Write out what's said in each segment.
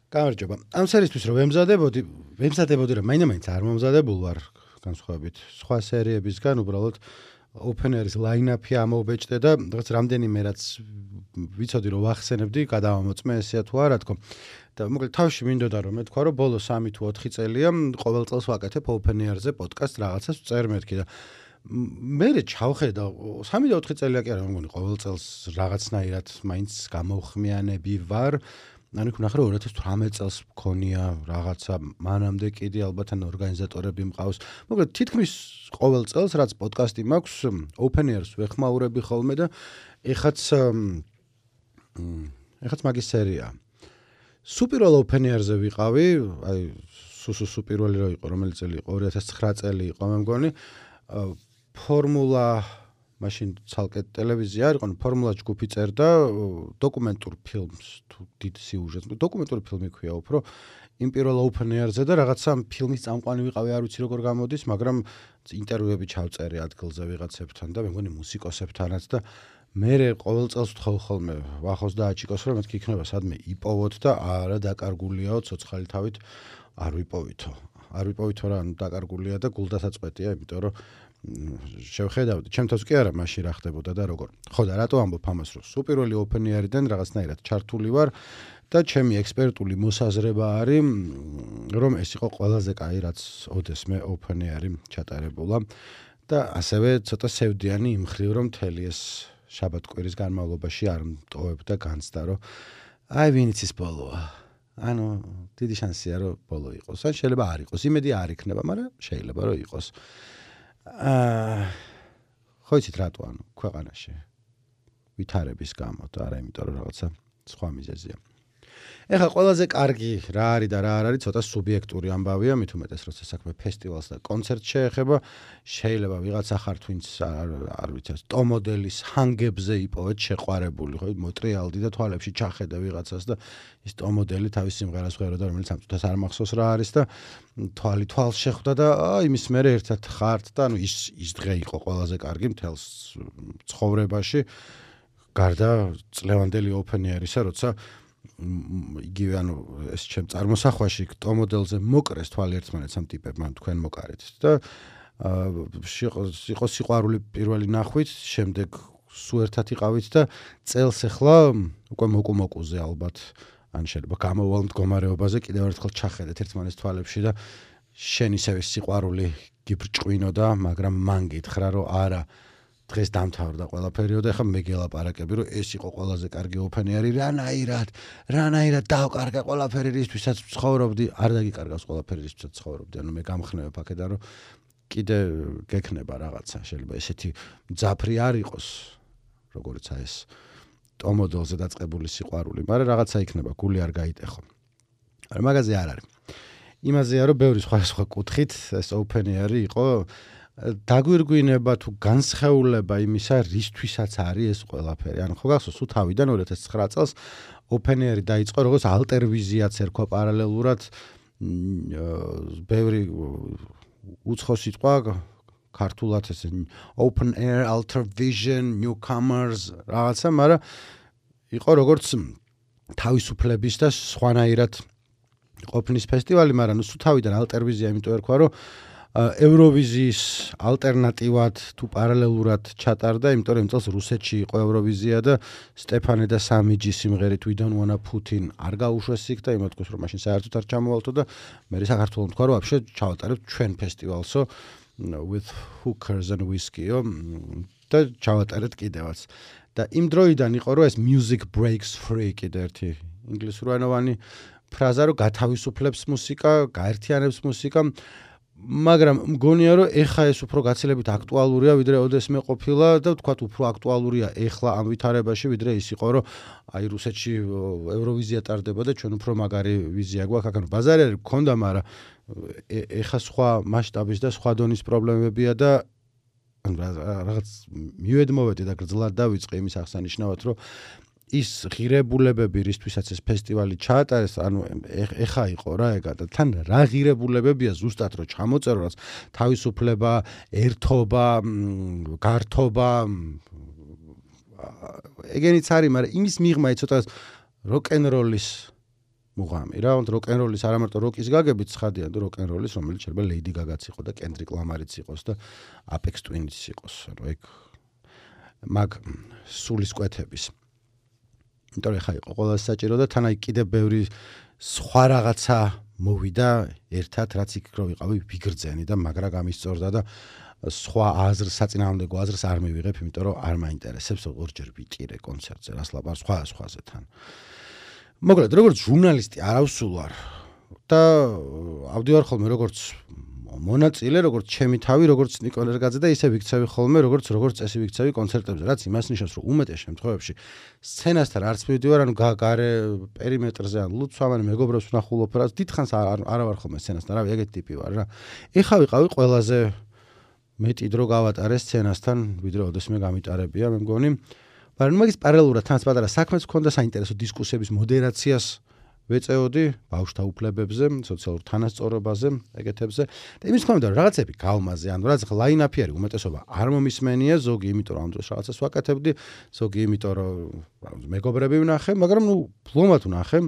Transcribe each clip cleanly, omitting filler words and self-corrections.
გამარჯობა. ამ სერიისთვის რომ ვემზადებოდი რომ მაინც არ მომზადებულ ვარ განსხვავებით სხვა სერიებისგან, უბრალოდ open air-ის line-up-ი ამოვბეჭდე და რაღაც რამდენიმე რაც ვიცოდი რომ ვახსენებდი, გადავამოწმე ესეა თუ არა თქო. და მოკლედ თავში მინდოდა რომ მეთქვა რომ ბოლო 3 თუ 4 წელია ყოველ წელს ვაკეთებ open air-ზე პოდკასტ რაღაცას წერ მეთქი და მე ჩავხედა 3 და 4 წელია კი არა მგონი ყოველ წელს რაღაცნაირად მაინც გამოვხმიანები ვარ. ანუ იქ ნახე რომ 2018 წელს მქონია რაღაცა მანამდე კიდე ალბათ ან ორგანიზატორები მყავს. მოკლედ თითქმის ყოველ წელს რაც პოდკასტი მაქვს open air-ს ვეხმაურები ხოლმე და ეხაც მაგის სერია. სუპირვალ open air-ზე ვიყავი, აი სუ პირველი რო იყო, რომელი წელი იყო 2009 წელი იყო მე მგონი. ფორმულა მაშინ ცალკე ტელევიზია არ იყო, ფორმულა ჯგუფი წერდა დოკუმენტურ ფილმს თუ დიდ სიუჟეტს. დოკუმენტური ფილმი ქვია უფრო იმ პირველ open air-ზე და რაღაცა ფილმის წამყვანი ვიყავი, არ ვიცი როგორ გამოდის, მაგრამ ინტერვიუები ჩავწერე ადგილზე ვიღაცებთან და მე მგონი მუსიკოსებთანაც და მე ყოველ წელს ვთხოვ ხოლმე ვახოს და აჩიკოს რომ მეთქი იქნება სადმე იპოვოთ და არა დაკარგულიაო ცოცხალი თავით არ ვიპოვითო. არ ვიპოვითო რა დაკარგულია და გულდასაწყვეტია, იმიტომ რომ შევხედავდი, ჩემთვის კი არა მაშინ რა ხდებოდა და როგორ. ხო და რატო ამბობ ამას რომ სუპირველი open air-დან რაღაცნაირად ჩართული ვარ და ჩემი ექსპერტული მოსაზრება არის რომ ეს იყო ყველაზე კაი რაც ოდესმე open air-ი ჩატარებულა და ასევე ცოტა სევდიანი იმ მხრივ რომ მთელი ეს შაბათ-კვირის განმავლობაში არ მტოვებდა განცდა რომ აი ვინც ის ბოლოა. ანუ დიდი შანსია რომ ბოლო იყოს. ან შეიძლება არ იყოს. იმედი არ იქნება, მაგრამ შეიძლება რომ იყოს. ხო იცით რატო ანუ ქვეყანაში ვითარების გამო და არა იმიტომ რომ რაღაცა სხვა მიზეზია. ეხლა ყველაზე კარგი რა არის და რა არ არის ცოტა სუბიექტური ამბავია, მით უმეტეს როცა საქმე ფესტივალს და კონცერტს შეეხება, შეიძლება ვიღაცა ხართ ვინც არ ვიცი ტომოდელის ჰანგებზე იპოვეთ შეყვარებული, ხო მოტრიალდი და თვალებში ჩახედა ვიღაცას და ის ტომოდელი თავის სიმღერას ვღეროდა რომელიც ამ წუთას არ მახსოვს რა არის და თვალს შეხვდა და იმის მერე ერთად ხართ და ანუ ის დღე იყო ყველაზე კარგი მთელს ცხოვრებაში გარდა წლევანდელი open air-ისა, როცა იგივე ანუ ეს ჩემ წარმოსახვაში ტომოდელზე მოკრეს თვალი ერთმანეთს ამ ტიპებმა თქვენ მოკარეთ და იყო სიყვარული პირველი ნახვით, შემდეგ სულ ერთად იყავით და წელს ახლა უკვე მოკუმოკუზე ალბათ ან შეიძლება გამოვალ მდგომარეობაზე კიდევ ერთხელ ჩახედეთ ერთმანეთს თვალებში და შენ ისევე სიყვარული გიბრჭყვინოდა, მაგრამ მან გითხრა რომ არა დღეს დამთავრდა ყველაფერი და ახლა მეგელაპარაკები რომ ეს იყო ყველაზე კარგი open air-ი რანაირად დავკარგა ყველაფერი რისთვისაც ცხოვრობდი არ დაგიკარგავს ყველაფერი რისთვისაც ცხოვრობდი ანუ მე გამხნევებ აქედან რომ კიდე გექნება რაღაცა შეიძლება ესეთი მძაფრი არ იყოს როგორიც ეს ტომოდელზე დაწყებული სიყვარული მაგრამ რაღაცა იქნება გული არ გაიტეხო არა მაგაზე არ არის იმაზეა რომ ბევრი სხვა კუთხით ეს open air-ი იყო დაგვირგვინება თუ განსხეულება იმისა რისთვისაც არის ეს ყველაფერი. ანუ ხო გახსოვს თავიდან 2009 წელს open air-ი დაიწყო როგორც ალტერვიზიაც ერქვა პარალელურად ბევრი უცხო სიტყვა ქართულად ეს open air alter vision newcomers რაღაცა, მაგრამ იყო როგორც თავისუფლების და სხვანაირად ყოფნის ფესტივალი, მაგრამ სულ თავიდან ალტერვიზია იმიტომ ერქვა რომ ევროვიზიის ალტერნატივად თუ პარალელურად ჩატარდა, იმიტომ რომ წელს რუსეთში იყო ევროვიზია და სტეფანე და სამიჯი სიმღერით We don't wanna put in არ გაუშვეს იქ და იმათქოს რომ მაშინ საერთოდ არ ჩამოვალთო და მე საქართველოს თქვა რომ вообще ჩავატარებთ ჩვენ ფესტივალსო with hookers and whiskey-ო და ჩავატარეთ კიდევაც. და იმ დროიდან იყო რომ ეს music breaks free კიდე ერთი ინგლისურენოვანი ფრაზა რომ გათავისუფლებს მუსიკა, გაერთიანებს მუსიკა მაგრამ მგონია რომ ეხა ეს უფრო გაცილებით აქტუალურია ვიდრე ოდესმე ყოფილა და თქვათ უფრო აქტუალურია ეხლა ამ ვითარებაში ვიდრე ის იყო რომ აი რუსეთში ევროვიზია ტარდება და ჩვენ უფრო მაგარი ვიზია გვაქვს აქ ბაზარი არის გქონდა მაგრამ ეხა სხვა მასშტაბის და სხვა დონის პრობლემებია და რაღაც მივედმოვედი და გრძლად დავიწყე იმის აღსანიშნავად რომ ის ღირებულებები რისთვისაც ეს ფესტივალი ჩაატარეს, ანუ ეხა იყო რა ეგა და თან რა ღირებულებებია ზუსტად რომ ჩამოწეროს თავისუფლება, ერთობა, გართობა ეგენიც არის, მაგრამ იმის მიღმა ცოტა როკ-ენ-როლის მუღამი რა, როკ-ენ-როლის არა მარტო როკის გაგებით ცხადია, და როკ-ენ-როლის, რომელიც შეიძლება ლეიდი გაგაც იყო და კენდრიკ ლამარიც იყოს და აპექს ტვინიც იყოს, ანუ ეგ მაგ სულის კვეთების. იმიტომ რომ ხა იყო ყველაზე საჭირო და თან აი კიდე ბევრი სხვა რაღაცა მოვიდა ერთად, რაც იქ რო ვიყავი ვიგრძენი და მაგრა გამისწორდა და სხვა აზრს, საწინააღმდეგო აზრს არ მივიღებ, იმიტომ რომ არ მაინტერესებს ორჯერ ვიტირე კონცერტზე, რას ლაპარაკობ სხვაზე თან. მოკლედ, როგორც ჟურნალისტი არავსულ ვარ და ავდივარ ხოლმე როგორც მონაწილე, როგორც ჩემი თავი, როგორც ნიკო ერგაძე და ისე ვიქცევი ხოლმე, როგორც წესი ვიქცევი კონცერტებზე, რაც იმას ნიშნავს, რომ უმეტეს შემთხვევებში სცენასთან არც მივდივარ, ანუ გარე პერიმეტრზე, ან ლუცვამ, ან მეგობრებს ვნახულობ, რაც დიდხანს არა ვარ ხოლმე სცენასთან, რავი, ეგეთი ტიპი ვარ რა. ეხა ვიყავი ყველაზე მეტი დრო გავატარე სცენასთან, ვიდრე ოდესმე გამიტარებია, მე მგონი. მაგრამ მაგის პარალელურად თან პატარა საქმეც მქონდა საინტერესო დისკუსიების მოდერაციას ვეწეოდი ბავშვთა უფლებებზე, სოციალურ თანასწორობაზე, ეგეთებზე. და იმის თქმა უნდა, რაღაცები გავმაზე, ანუ რაღაც ლაინაპი არის, უმეტესობა არ მომისმენია, ზოგი იმიტომ რომ ამ დროს რაღაცას ვაკეთებდი, ზოგი იმიტომ რომ მეგობრები ვნახე, მაგრამ ფლომად ვნახე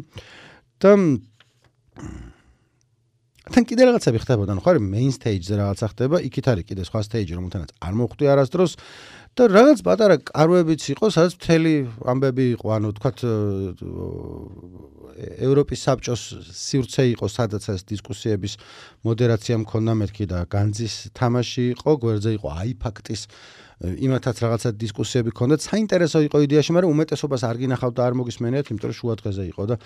და თან კიდე რაღაცები ხდებოდა, ხო არის main stage-ზე რაღაცა ხდება, იქით არის კიდე სხვა stage-ი, რომელთანაც არ მოხვდი არასდროს და რაღაც პატარა კარვებიც იყო, სადაც მთელი ამბები იყო, ანუ თქვათ ევროპის საბჭოს სივრცე იყო, სადაც ეს დისკუსიების მოდერაცია მქონდა მეთქი და განძის თამაში იყო, გვერდზე იყო აიფაქტის იმათაც რაღაცა დისკუსიები ქონდათ, საინტერესო იყო იდეაში, მაგრამ უმეტესობას არ გინახავთ და არ მოგისმენიათ, იმიტომ რომ შუა დღეზე იყო და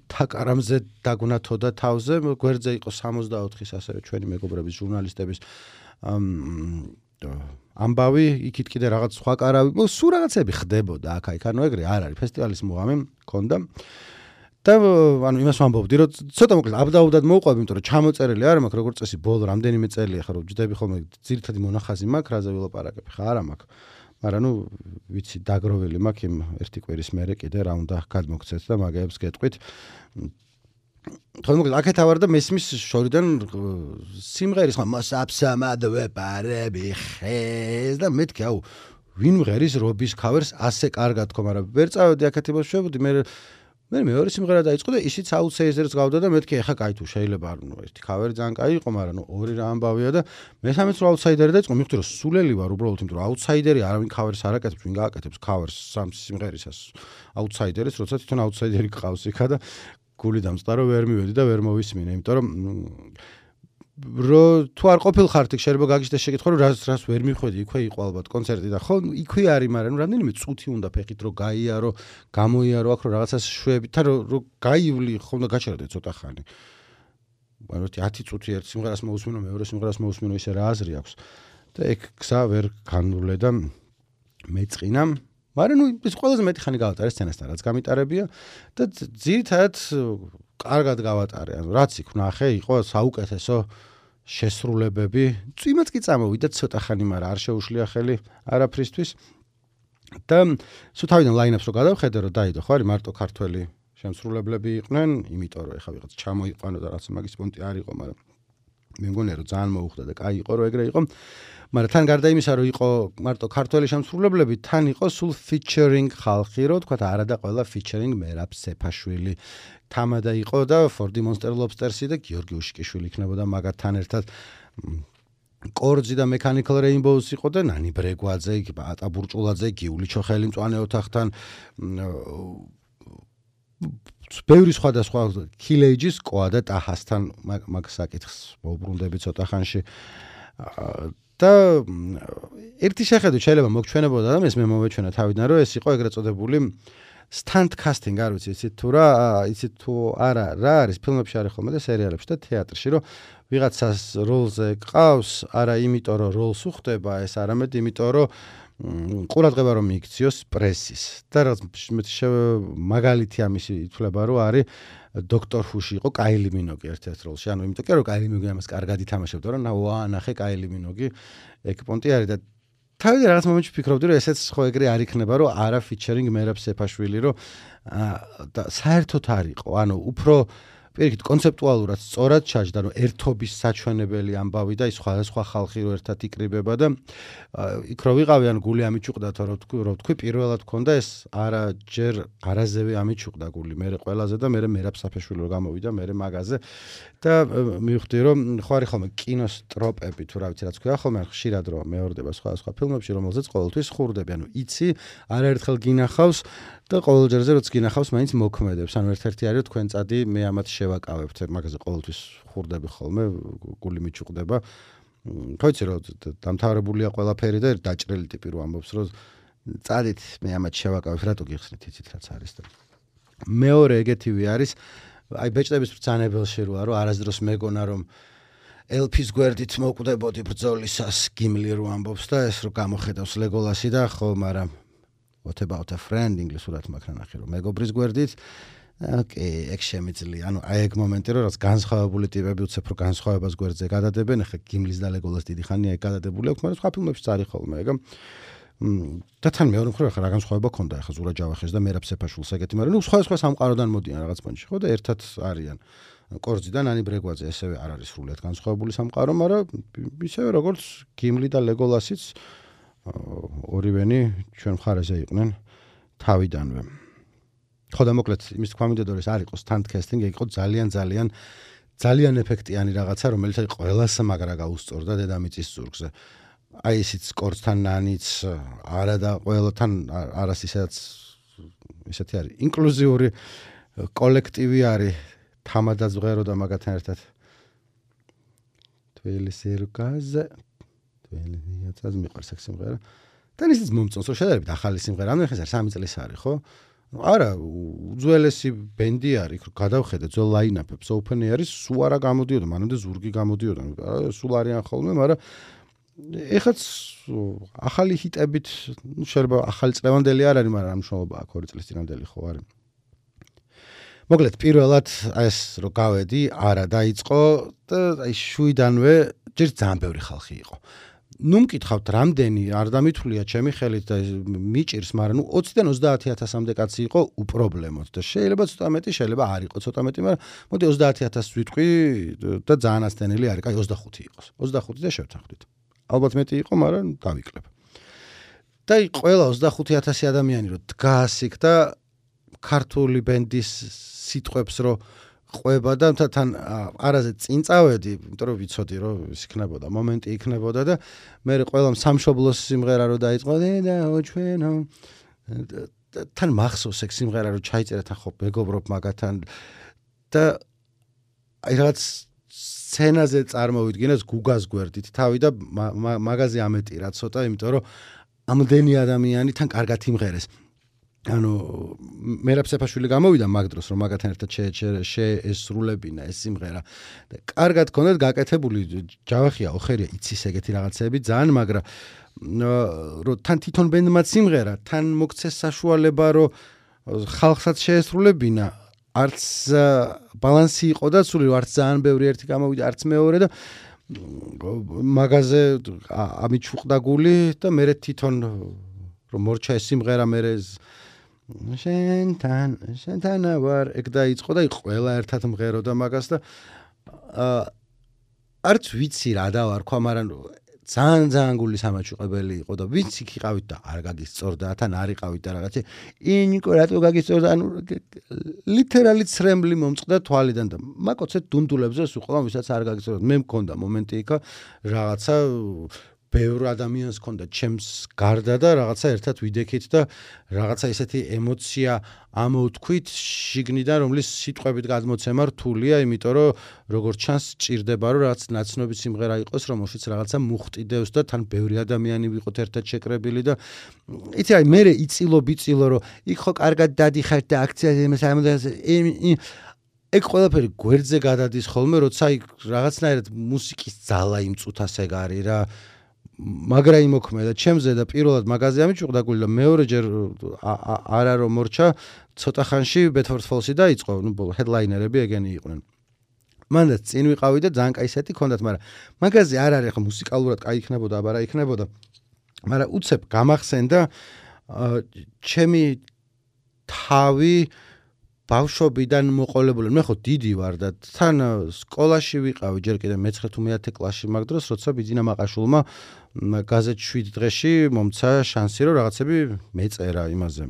თაკარამზე დაგვნათოდა თავზე, გვერდზე იყო 64-ის ასევე ჩვენი მეგობრების ჟურნალისტების ამბავი, იქით კიდე რაღაც სხვა კარავი, სულ რაღაცები ხდებოდა აქ-იქ, ანუ ეგრე არ არის, ფესტივალის მუღამი მქონდა. და ანუ იმას ვამბობდი, რომ ცოტა მოკლედ აბდაუდად მოვყვები, იმიტომ რომ ჩამოწერილი არ მაქვს, როგორც წესი, ბოლო რამდენიმე წელია ხარ, ვჯდები ხოლმე ძირითადი მონახაზი მაქვს, რაზე ვილაპარაკებ, ხა არა მაქვს. მაგრამ ვიცი, დაგროვილი მაქვს იმ ერთი კვირის მერე კიდე რა უნდა გადმოგცეთ და მაგეებს გეტყვით. თქო, აქეთ ავარ და მესმის შორიდან სიმღერის ხმა მოსაბსამად ვეპარები ხეს და მეთქი, აუ, ვინ მღერის რობის ქავერს ასე კარგად თქო, მაგრამ ვერ წავედი აქეთ იმას შევედი, მე მეორე სიმღერა დაიწყო და ისიც აუთსაიდერს გავდა და მეთქი, ეხა კაი თუ შეიძლება ერთი ქავერი ძალიან კაი იყო, მაგრამ ორი რა ამბავია და მესამეც რო აუთსაიდერი დაიწყო, მივხვდი რომ სულელი ვარ უბრალოდ, იმიტომ რომ აუთსაიდერი არავინ ქავერს არ აკეთებს, ვინ გააკეთებს ქავერს სამ სიმღერისას აუთსაიდერის, როცა თვითონ აუთსაიდერი გყავს იქა და გული დამწყდა რომ ვერ მივედი და ვერ მოვისმინე, იმიტომ რომ თუ არ ყოფილხართ იქ შეიძლება გაგიჩნდეს შეკითხვა რომ რას ვერ მიხვედი, იქვე იყო ალბათ კონცერტი და ხო იქვე არის, მაგრამ რამდენიმე წუთი უნდა ფეხით რომ გაიარო, გამოიარო აქ რომ რაღაცას შვებით, თან რომ გაივლი ხო უნდა გაჩერდე ცოტა ხანი. ანუ 10 წუთი ერთ სიმღერას მოусმინო, მეორე სიმღერას მოусმინო, ისე რა აზრი აქვს. და ეგ გზა ვერ განვლე და მეწყინა. მაგრამ ის ყველაზე მეტი ხანი გავატარე სცენასთან, რაც გამიტარებია და ძირითადად კარგად გავატარე. ანუ რაც იქ ვნახე, იყო საუკეთესო შესრულებები. წვიმაც კი წამოვიდა ცოტა ხანი, მაგრამ არ შეუშლია ხელი არაფრისთვის. და სულ თავიდან ლაინაპს რო გადავხედე, რომ დაიდო, ხო არის მარტო ქართველი შემსრულებლები იყვნენ, იმიტომ რომ ეხა ვიღაც ჩამოიყვანო და რაც მაგის პონტი არ იყო, მაგრამ მე მგონია რომ ძალიან მოუხდა და კაი იყო რომ ეგრე იყო. მაგრამ თან გარდა იმისა რომ იყო მარტო ქართველი შემსრულებლები, თან იყო სულ featuring ხალხი, რო თქვა არა და ყველა featuring მერაბ სეფაშვილი თამადა იყო და Ford Monster Lobsters-ი და გიორგი უშიკიშვილი იქნებოდა მაგათთან ერთად. კორძი და Mechanical Rainbows იყო და ნანი ბრეგვაძე, ატა ბურჭულაძე, გიული ჩოხელი მწვანე ოთახთან ბევრი სხვადასხვა Killage-ის ყვა და ტაჰასთან მაგ საკითხს მოუბრუნდები ცოტა ხანში. და ერთი შეხედვით შეიძლება მოგჩვენებოდა და მე მომეჩვენა თავიდან რომ ეს იყო ეგრეთ წოდებული stunt casting, არ ვიცი, იცით თუ არა, რა არის ფილმებში არის ხოლმე და სერიალებში და თეატრში, რომ ვიღაცას როლზე ყავს, არა იმიტომ რომ როლს უხდება ეს, არამედ იმიტომ რომ ყურადღება რომ მიიქციოს პრესის. და რაღაც მაგალითი ამისი ითვლება რომ არის დოქტორ ჰუში იყო კაილი მინოგი ერთ-ერთ როლში. ანუ იმიტომ კი რომ კაილი მინოგი ამას კარგად ითამაშებდა, რომ ნახე კაილი მინოგი ეგ პონტი არის და თავიდან რაღაც მომენტში ფიქრობდი რომ ესეც ხო ეგრე არ იქნება რომ არა featuring მერაბ სეფაშვილი რომ და საერთოდ არ იყო. ანუ უფრო პირიქით კონცეპტუალურად სწორად ჩაჯდა, რომ ერთობის საჩვენებელი ამბავი და ის სხვადასხვა ხალხი რო ერთად იკრიბება და იქ რო ვიყავი, ან გული ამიჩუყდა, რომ თქვი, პირველად მქონდა ეს არა ჯერ არაზევე ამიჩუყდა გული, მე ყველაზე და მე მერაბ საფეშვილი რო გამოვიდა, მე მაგაზე და მივხვდი, რომ ხო არის ხოლმე კინოს ტროპები თუ რა ვიცი რაც ქვია ხოლმე, ხშირად რო მეორდება სხვადასხვა ფილმებში, რომელზეც ყოველთვის ხურდები, ანუ იცი, არაერთხელ გინახავს და ყოველ ჯერზე რაც გინახავს, მაინც მოქმედებს. ანუ ერთ-ერთი არის თქვენ წადი, მე ამათ შევაკავებთ, მაგაზე ყოველთვის ხურდები ხოლმე, გული მიჩუყდება. ხო იცი რომ დამთავრებულია ყველაფერი და დაჭრილი ტიპი რო ამბობს, რომ წადით, მე ამათ შევაკავებთ, რატო გიხსნით, იცით რაც არის და მეორე ეგეთივე არის, აი ბეჭდების ბრძანებელში როა, რომ არასდროს მეგონა რომ ელფის გვერდით მოკვდებოდი ბრძოლისას, გიმლი რო ამბობს და ეს რო გამოხედავს ლეგოლასი და ხო, მაგრამ what about a friend ინგლისურად მაგ ნახე რომ მეგობრის გვერდით ოკეი, ეგ შემიძლია. ანუ აი ეგ მომენტი რომ რაც განსხვავებული ტიპები უცებ რო განსხვავებას გვერდზე გადადებენ, ახლა გიმლის და ლეგოლას დიდი ხანია ეგ გადადებული აქვს, მაგრამ სხვა ფილმებში წარი ხოლმე ეგ. და თან მეორე მხრივ ახლა რა განსხვავება ქონდა ახლა ზურა ჯავახის და მერაბ სეფაშვილს ეგეთი, მაგრამ ნუ სხვა სამყაროდან მოდიან რაღაც პონჩი, ხო და ერთად არიან. კორძიდან ანი ბრეგვაძე ესევე არ არის სრულიად განსხვავებული სამყარო, მაგრამ ისევე როგორც გიმლი და ლეგოლასიც ორივენი ჩვენ მხარეზე იყვნენ თავიდანვე. ხო და მოკლედ იმის თქვა მინდოდა არ იყოს თან კასტინგი, იყო ძალიან ეფექტიანი რაღაცა, რომელიც აი ყველას მაგრა გაუსწორდა დედამიწის ზურგზე. აი ისიც კორცთან ნანიც არა და ყველთან არას ისეთი არის ინკლუზიური კოლექტივი არის თამადაც ვღერო და მაგათთან ერთად თბილისი რუკაზე თბილისიაც მიყვარს ეს სიმღერა და ისიც მომწონს რომ შედარებით ახალი სიმღერა ანუ ხეს 3 წლის არის ხო არა უძველესი ბენდი არის გადავხედე ძველ ლაინაპებს open air-ის სულ არა გამოდიოდა მანამდე ზურგი გამოდიოდა სულ არიან ხოლმე მაგრამ ეხაც ახალი ჰიტებით შეიძლება ახალი წლევანდელი არ არის მაგრამ ამშრომლობა აქ 2 წლის წინანდელი ხო არის მოკლედ პირველად ეს რო გავედი არა დაიწყო და აი შუიდანვე ჯერ ძალიან ბევრი ხალხი იყო ნუ მკითხავთ რამდენი არ დამითვლია ჩემი ხელით და მიჭირს მაგრამ ნუ 20-დან 30000-მდე კაცი იყო უპრობლემოდ და შეიძლება ცოტა მეტი შეიძლება არ იყოს ცოტა მეტი მაგრამ მოდი 30000 ვიტყვი და ძალიან ასთენელი არის კაი 25 იყოს 25 და შევთანხმდით ალბათ მეტი იყო მაგრამ დავიკლებ და ყველა 25000 ადამიანი რო დგას იქ და ქართული ბენდის სიტყვებს რო ყვება და თან არაზე წინ წავედი, იმიტომ რომ ვიცოდი რომ ის იქნებოდა, მომენტი იქნებოდა და მე ყველამ სამშობლოს სიმღერა რო დაიწყო და ჩვენო თან მახსოვს ეგ სიმღერა რო ჩაიწერა თან ხო მეგობრობ მაგათთან და აი რაღაც სცენაზე წარმოვიდგინეს გუგას გვერდით თავი და მაგაზე ამეტირა ცოტა, იმიტომ რომ ამდენი ადამიანი თან კარგად იმღერეს. ანუ მერაბ სეფაშვილი გამოვიდა მაგ დროს რომ მაგათთან ერთად შეესრულებინა ეს სიმღერა და კარგად ქონდათ გაკეთებული ჯავახია ოხერია იცის ეგეთი რაღაცები ძალიან მაგრამ რომ თან თვითონ ბენდმა სიმღერა თან მოგცეს საშუალება რომ ხალხსაც შეესრულებინა არც ბალანსი იყო და სული არც ძალიან ბევრი ერთი გამოვიდა არც მეორე და მაგაზე ამიჩუყდა გული და მე თვითონ რომ მორჩა ეს სიმღერა მე შენთან ვარ ეგ დაიწყო და ყველა ერთად მღეროდა მაგას და არც ვიცი რა დავარქვა მაგრამ ძალიან გული სამაჩუყებელი იყო და ვინც იქ იყავით და არ გაგისწორდა თან არ იყავით და რაღაცა ინიკო რატო გაგისწორდა ანუ ლიტერალი ცრემლი მომწყდა თვალიდან და მაკოცეთ დუნდულებზე სულ ვისაც არ გაგისწორდა მე მქონდა მომენტი იქა რაღაცა ბევრ ადამიანს ქონდა ჩემს გარდა და რაღაცა ერთად ვიდექით და რაღაცა ესეთი ემოცია ამოვთქვით შიგნიდან რომლის სიტყვებით გადმოცემა რთულია იმიტომ რომ როგორც ჩანს ჭირდება რომ რაღაც ნაცნობი სიმღერა იყოს რომელშიც რაღაცა მუხტიდევს და თან ბევრი ადამიანი ვიყოთ ერთად შეკრებილი და იცი აი მე იწილო რომ იქ ხო კარგად დადიხარ და აქციაზე ეგ ყველაფერი გვერდზე გადადის ხოლმე როცა იქ რაღაცნაირად მუსიკის ძალა იმ წუთას ეგ არის რა მაგრა იმოქმედა ჩემზე და პირველად მაგაზე ამიჩუყდა გული და მეორეჯერ არა რომ მორჩა ცოტა ხანში ბედფორდ ფოლსი დაიწყო ნუ ჰედლაინერები ეგენი იყვნენ მანდაც წინ ვიყავი და ძალიან კაი სეტი ქონდათ მაგრამ მაგაზე არ არის ხო მუსიკალურად კაი იქნებოდა აბა რა იქნებოდა მაგრამ უცებ გამახსენდა ჩემი თავი ბავშვობიდან მოყოლებული მე ხო დიდი ვარ და თან სკოლაში ვიყავი ჯერ კიდე მე-9 თუ მე-10 კლასში მაგ დროს როცა ბიძინა მაყაშვილმა გაზეთ 7 დღეში მომცა შანსი რომ რაღაცები მეწერა იმაზე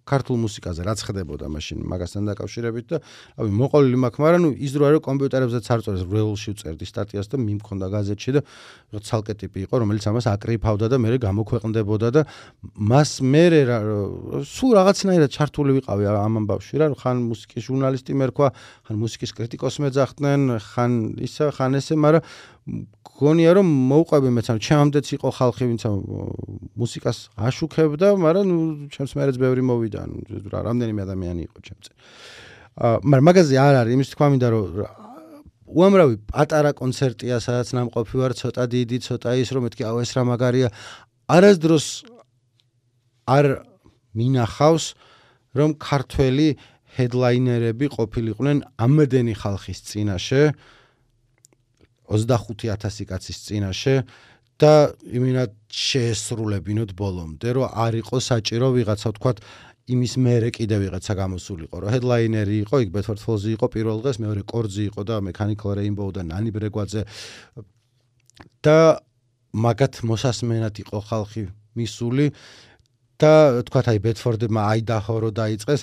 ქართულ მუსიკაზე რაც ხდებოდა მაშინ მაგასთან დაკავშირებით და რავი მოყოლილი მაქვს მაგრამ ნუ ის დრო რომ კომპიუტერებზეც არ წერს ვრეულში ვწერდი სტატიას და მიმქონდა გაზეთში და ცალკე ტიპი იყო რომელიც ამას აკრიფავდა და მე გამოქვეყნდებოდა და მას მე სულ რაღაცნაირად ჩართული ვიყავი ამ ამბავში რა ხან მუსიკის ჟურნალისტი მერქვა ხან მუსიკის კრიტიკოსი მეძახდნენ ხან ისა ხან ესე მაგრამ გონია რომ მოვყვები მეც ამ ჩემამდეც იყო ხალხი ვინც მუსიკას აშუქებდა მაგრამ ნუ ჩემს მერეც ბევრი მოვიდა რამდენიმე ადამიანი იყო ჩემზე მაგრამ მაგაზე არ არის იმის თქვა მინდა რომ უამრავი პატარა კონცერტია სადაც ნამყოფი ვარ ცოტა დიდი ცოტა ის რომ მეთქი ეს რა მაგარია არასდროს არ მინახავს რომ ქართველი ჰედლაინერები ყოფილიყვნენ ამდენი ხალხის წინაშე 25,000 კაცის წინაშე და იმენად შეესრულებინოთ ბოლომდე რომ არ იყო საჭირო ვიღაცა ვთქვათ იმის მერე კიდე ვიღაცა გამოსულიყო რომ ჰედლაინერი იყო იქ ბედფორდ ფოლზი იყო პირველ დღეს მეორე კორძი იყო და მექანიკალ რეინბოუ და ნანი ბრეგვაძე და მაგათ მოსასმენად იყო ხალხი მისული და თქვათ აი ბედფორდებმა აიდაჰო რო დაიწყეს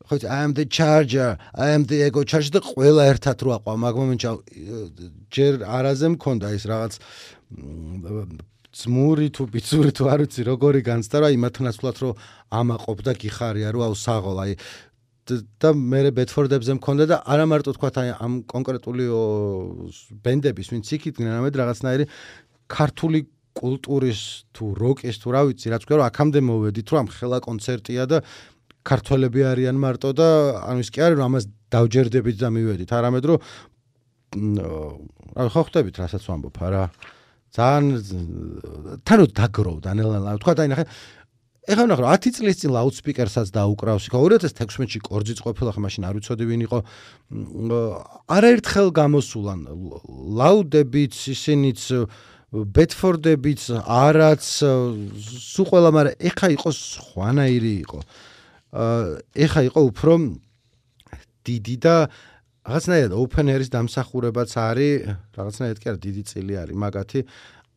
ხო I am the charger I am the ego charger და ყველა ერთად რო აყვა მაგ მომენტში ჯერ არაზე მქონდა ის რაღაც ძმური თუ ბიცური თუ არ ვიცი როგორი განცდა რა იმათ ნაცვლად რომ ამაყობდა გიხარია რომ აუ საღოლ აი და მე ბედფორდებზე მქონდა და არა მარტო თქვათ აი ამ კონკრეტული ბენდების ვინც იქიდნენ ამედ რაღაცნაირი ქართული კულტურის თუ როკის თუ რა ვიცი რაც თქვა რომ აქამდე მოვედით რომ ამ ხელა კონცერტია და ქართველები არიან მარტო და ანუ ის კი არის რომ ამას დავჯერდებით და მივედით არამედ რომ ხო ხვდებით რასაც ვამბობ არა ძალიან თანო დაგროვდა ნელა თქვა და ნახე ეხლა ნახე 10 წლის წინ ლაუდსპიკერსაც დაუკრავს ხო 2016-ში კორძიც ყოფილა ხა მაშინ არ ვიცოდი ვინ იყო არაერთხელ გამოსულან ლაუდებიც ისინიც ბედფორდებიც არაც სულ ყველა მაგრამ ეხა იყო სხვანაირი იყო ეხა იყო უფრო დიდი და რაღაცნაირად open air-ის დამსახურებაც არის რაღაცნაირად კი არა დიდი წილი არის მაგათი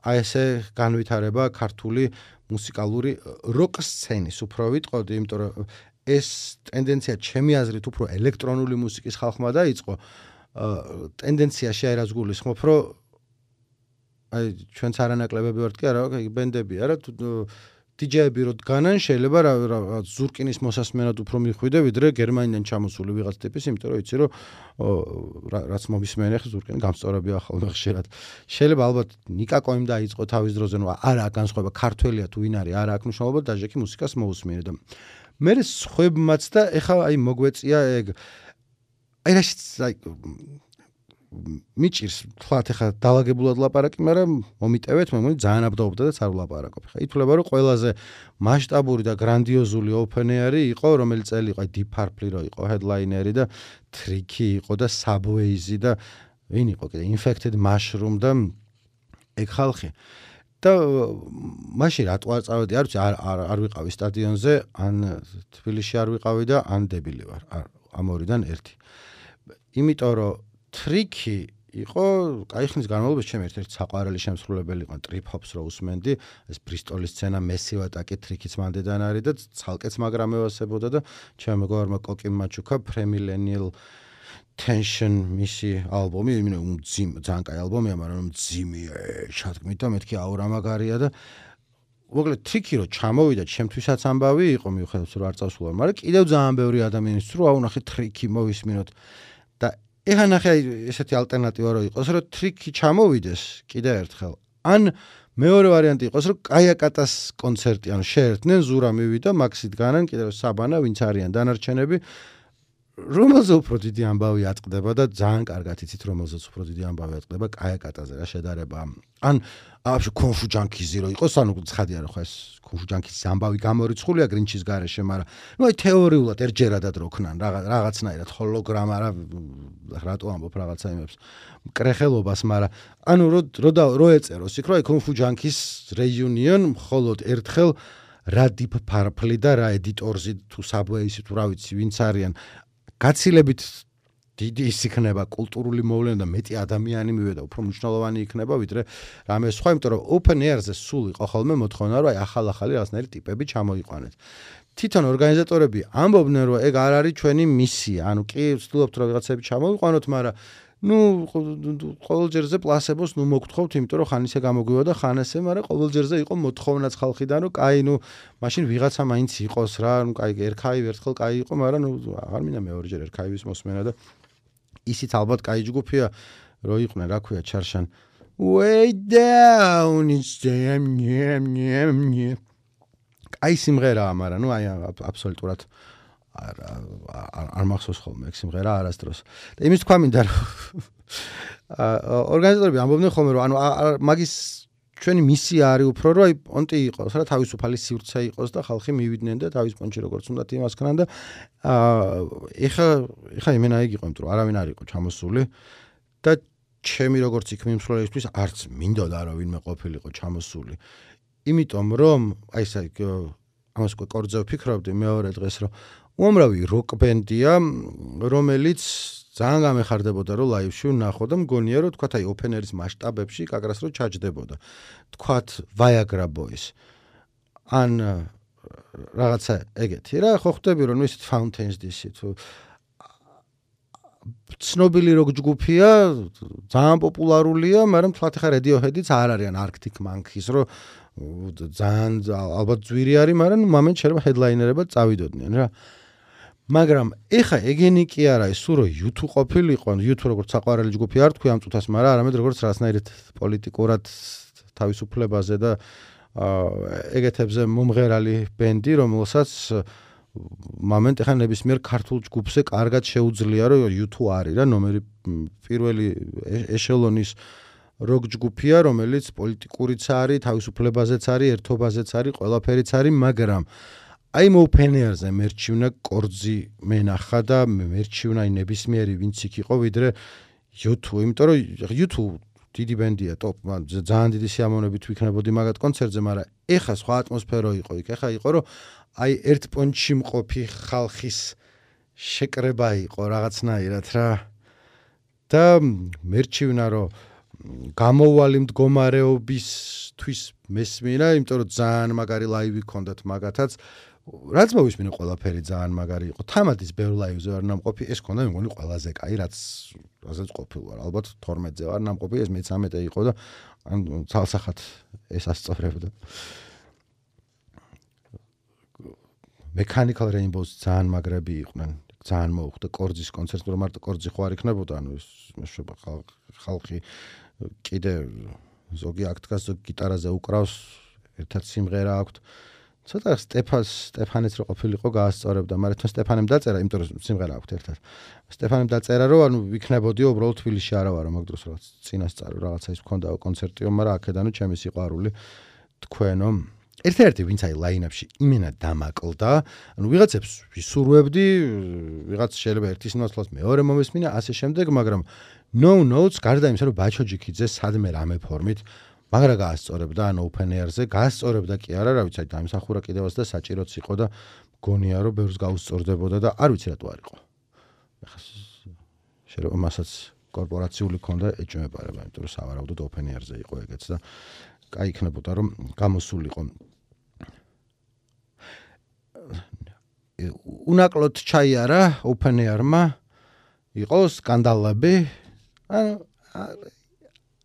აი ესე განვითარება ქართული მუსიკალური როკ სცენის უფრო ვიტყოდი იმიტომ რომ ეს ტენდენცია ჩემი აზრით უფრო ელექტრონული მუსიკის ხალხმა დაიწყო ტენდენციაში აი რაც გულისხმობ რომ აი ჩვენც არანაკლებები ვართ კი არა ბენდები არა DJ-ები რო დგანან შეიძლება რა ზურკინის მოსასმენად უფრო მიხვიდე ვიდრე გერმანიდან ჩამოსული ვიღაც ტიპის იმიტომ რომ იცი რომ რაც მომისმენე ხა ზურკინი გამსწორებია ხოლმე ხშირად შეიძლება ალბათ ნიკა კოიმ დაიწყო თავის დროზე ნუ არა განსხვავება ქართველია თუ ვინ არის არა აქ მნიშვნელობა დაჟექი მუსიკას მოусმინე და მე სხვებმაც და ეხა აი მოგვეწია ეგ აი რაშიც აი მიჭირს თქვათ ეხა დაალაგებულად ლაპარაკი, მაგრამ მომიტევეთ მე მგონი ძალიან აბდაობდა და არ ვლაპარაკობ. ხა ითვლება რომ ყველაზე მასშტაბური და გრანდიოზული open air-ი იყო, რომელიც წელი იყო Deep Purple რო იყო headliner-ი და Tricky იყო და Subways-ი და ვინ იყო კიდე Infected Mushroom და ეგ ხალხი. და მაშინ რატო არ წავედი, არ ვიცი, არ ვიყავი სტადიონზე, ან თბილისში არ ვიყავი და ან დებილი ვარ. ამ ორიდან ერთი. იმიტომ რომ Tricky იყო, კაი ხნის განმავლობაში ჩემი ერთ-ერთი საყვარელი შემსრულებელი იყო Trip Hops რო უსმენდი, ეს ბრისტოლის სცენა Massive Attack-ი Tricky-ც მანდედან არის და ცალკეც მაგრამ ევასებოდა და ჩემ მეგობარმა კოკიმ მაჩუკა Premillennial Tension მისი ალბომი, ძალიან კაი ალბომია, მაგრამ მძიმეა, შადგმით და მეთქი აურა მაგარია და მოკლედ Tricky რო ჩამოვიდა, ჩემთვისაც ამბავი იყო, მიუხედავად რომ არ წავსულა, მაგრამ კიდევ ძალიან ბევრი ადამიანის რო აუნახე Tricky მოვისმინოთ და ეხა ნახე ესეთი ალტერნატივა რო იყოს, რომ Tricky ჩამოვიდეს კიდე ერთხელ. ან მეორე ვარიანტი იყოს, რომ კაიაკატას კონცერტი, ანუ შეერთდნენ ზურა მივიდა, მაქსით განან კიდევ საბანა, ვინც არიან დანარჩენები. რომელზე უფრო დიდი ამბავი ატყდება და ძალიან კარგად იცით რომელზეც უფრო დიდი ამბავი ატყდება კაიაკატაზე რა შედარება ან აბშე კონფუ ჯანკიზი რო იყოს ანუ ცხადია რა ხო ეს კონფუ ჯანკიზის ამბავი გამორიცხულია გრინჩის გარეშე მაგრამ ნუ აი თეორიულად ერთჯერადად რო ქნან რაღაცნაირად ჰოლოგრამა რა რატო ამბობ რაღაცა იმებს მკრეხელობას მაგრამ ანუ რო ეწეროს იქ რო აი კონფუ ჯანკის რეიუნიონ მხოლოდ ერთხელ რა Deep Purple და რა ედიტორზი თუ Subways თუ რა ვიცი ვინც არიან გაცილებით დიდი ის იქნება კულტურული მოვლენა და მეტი ადამიანი მივიდა, უფრო მნიშვნელოვანი იქნება ვიდრე რამე სხვა, იმიტომ რომ open air-ზე სულ იყო ხოლმე მოთხოვნა, რომ ახალ-ახალი რაღაცნაირი ტიპები ჩამოიყვანეთ. თვითონ ორგანიზატორები ამბობდნენ, რომ ეგ არ არის ჩვენი მისია, ანუ კი ვცდილობთ რომ რაღაცები ჩამოვიყვანოთ, მაგრამ ყოველ ჯერზე პლასებოს მოგთხოვთ, იმიტომ რომ ხან ისე გამოგვივა და ხან ესე, მაგრამ ყოველ ჯერზე იყო მოთხოვნაც ხალხიდან, რომ კაი, მაშინ ვიღაცა მაინც იყოს რა, კაი, ერქაი ერთხელ კაი იყო, მაგრამ აღარ მინდა მეორეჯერ ერქაივის მოსმენა და ისიც ალბათ კაი ჯგუფია, რო იყვნენ, რა ქვია, ჩარშან. Way down it's them, აი სიმღერაა, მაგრამ აი აბსოლუტურად არ მახსოვს ხოლმე ეგ სიმღერა არასდროს. და იმის თქვა მინდა რომ ორგანიზატორები ამბობდნენ ხოლმე რომ მაგის ჩვენი მისია არის უფრო რომ აი პონტი იყოს რა თავისუფალი სივრცე იყოს და ხალხი მივიდნენ და თავის პონტში როგორც უნდა იმას ქნან და ეხა იმენა იგი იყო იმიტომ რომ არავინ არ იყო ჩამოსული და ჩემი როგორც იქ მიმსვლელისთვის არც მინდოდა რომ ვინმე ყოფილიყო ჩამოსული. იმიტომ რომ აი ესე ამას კორძე ვფიქრობდი მეორე დღეს რომ უამრავი როკ ბენდია რომელიც ძალიან გამეხარდებოდა რომ ლაივში ვნახო და მგონია რომ თქვათ აი open air-ის მასშტაბებში კაკრას რო ჩაჯდებოდა. თქვათ Viagra Boys ან რაღაცა ეგეთი რა ხო ხვდები რომ ისეთ Fountains DC თუ ცნობილი როკ ჯგუფია ძალიან პოპულარულია მაგრამ თქვათ ხა Radiohead-იც არ არიან Arctic Monkeys რო ძალიან ალბათ ძვირი არის მაგრამ მომენტ შეიძლება headliner-ებად წავიდოდნენ რა. მაგრამ ეხა ეგენი კი არა ის სულ რომ U2 ყოფილიყო, U2 როგორც საყვარელი ჯგუფი არ თქვი ამ წუთას, მაგრამ არამედ როგორც რაღაცნაირად პოლიტიკურად თავისუფლებაზე და ეგეთებზე მომღერალი ბენდი, რომელსაც მომენტ ეხა ნებისმიერ ქართულ ჯგუფზე კარგად შეუძლია რომ U2 არის რა, ნომერი პირველი ეშელონის როკ ჯგუფია, რომელიც პოლიტიკურიც არის, თავისუფლებაზეც არის, ერთობაზეც არის, ყველაფერიც არის, მაგრამ აი open air-ზე მერჩივნა კორძი მენახა და მერჩივნა ნებისმიერი ვინც იქ იყო ვიდრე U2, იმიტომ რომ U2 დიდი ბენდია, ტოპ, ძალიან დიდი სიამოვნებით ვიქნებოდი მაგათ კონცერტზე, მაგრამ ეხა სხვა ატმოსფერო იყო იქ, ეხა იყო რომ აი ერთ პონჩში მყოფი ხალხის შეკრება იყო რაღაცნაირად რა და მერჩივნა რომ გამოვალი მდგომარეობისთვის მესმინა, იმიტომ რომ ძალიან მაგარი ლაივი ჰქონდათ მაგათაც რაც მოვისმინე ყველაფერი ძალიან მაგარი იყო. თამადის ბევრ ლაივზე ვარ ნამყოფი, ეს ქონდა მეგონი ყველაზე კაი, რაზეც ყოფილ ვარ. ალბათ 12-ზე ვარ ნამყოფი, ეს მე-13 იყო და ან ცალსახად ეს ასწორებდა. Mechanical Rainbows ძალიან მაგრები იყვნენ. ძალიან მოუხდა კორძის კონცერტი, რომ მარტო კორძი ხო არ იქნებოდა, ანუ მეშვება ხალხი კიდე ზოგი აქტკას ზოგი გიტარაზე უკრავს, ერთად სიმღერა აქვს. ცოტა სტეფანეც რო ყოფილიყო გაასწორებდა, მაგრამ თან სტეფანემ დაწერა, იმიტომ რომ სიმღერა აქვს ერთად. სტეფანემ დაწერა, რომ ანუ ვიქნებოდი უბრალოდ თბილისში არა ვარო, მაგ დროს რაღაც წინასწარ რაღაცა ის მქონდა კონცერტიო, მაგრამ აქედანო ჩემი სიყვარული თქვენო. ერთ-ერთი ვინც აი ლაინაპში იმენა დამაკლდა, ანუ ვიღაცებს ვისურვებდი, ვიღაც შეიძლება ერთის ნაცვლად მეორე მომესმინა, ასე შემდეგ, მაგრამ no notes გარდა იმისა, რომ ბაჩოჯიქიძე სადმე რამე ფორმით მაგრა გაასწორებდა ან open air-ზე, გაასწორებდა კი არა, რა ვიცი, დაიმსახურა კიდევაც და საჭიროც იყო და გონია რომ ბევრს გაუსწორდებოდა და არ ვიცი რატო არ იყო. ეხლა შეიძლება მასაც კორპორაციული ქონდა ეჭვმეპარება, იმიტომ რომ სავარაუდოდ open air-ზე იყო ეგეც და კაი იქნებოდა რომ გამოსულიყო. უნაკლოდ ჩაიარა open air-მა, იყო სკანდალები, ანუ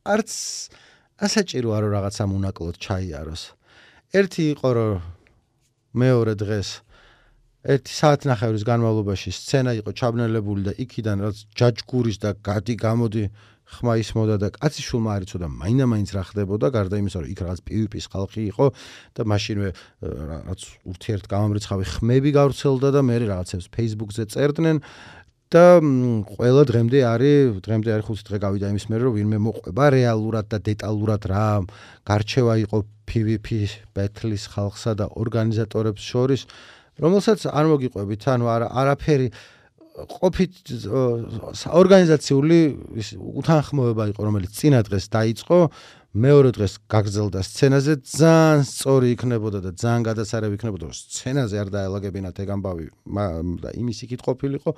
არც ასაჭიროა რომ რაღაცამ უნაკლოდ ჩაიაროს. ერთი იყო რომ მეორე დღეს 1 საათნახევრის განმავლობაში სცენა იყო ჩაბნელებული და იქიდან რაც ჯაჯგურის და გადი გამოდი ხმა ისმოდა და კაციშულმა არ იცოდა მაინდა-მაინც რა ხდებოდა, გარდა იმისა რომ იქ რაღაც PvP-ის ხალხი იყო და მაშინვე რაღაც ურთიერთგამომრიცხავი ხმები გავრცელდა და მე რაღაცებს Facebook-ზე წერდნენ და ყველა დღემდე არის 5 დღე გავიდა იმის მერე რომ ვინმე მოყვება რეალურად და დეტალურად რა გარჩევა იყო PvP ბეთლის ხალხსა და ორგანიზატორებს შორის, რომელსაც არ მოგიყვებით, ანუ არაფერი ყოფით ორგანიზაციული უთანხმოება იყო, რომელიც წინა დღეს დაიწყო, მეორე დღეს გაგრძელდა სცენაზე ძალიან სწორი იქნებოდა და ძალიან გადასარევი იქნებოდა რომ სცენაზე არ დაელაგებინათ ეგ ამბავი და იმის იქით ყოფილიყო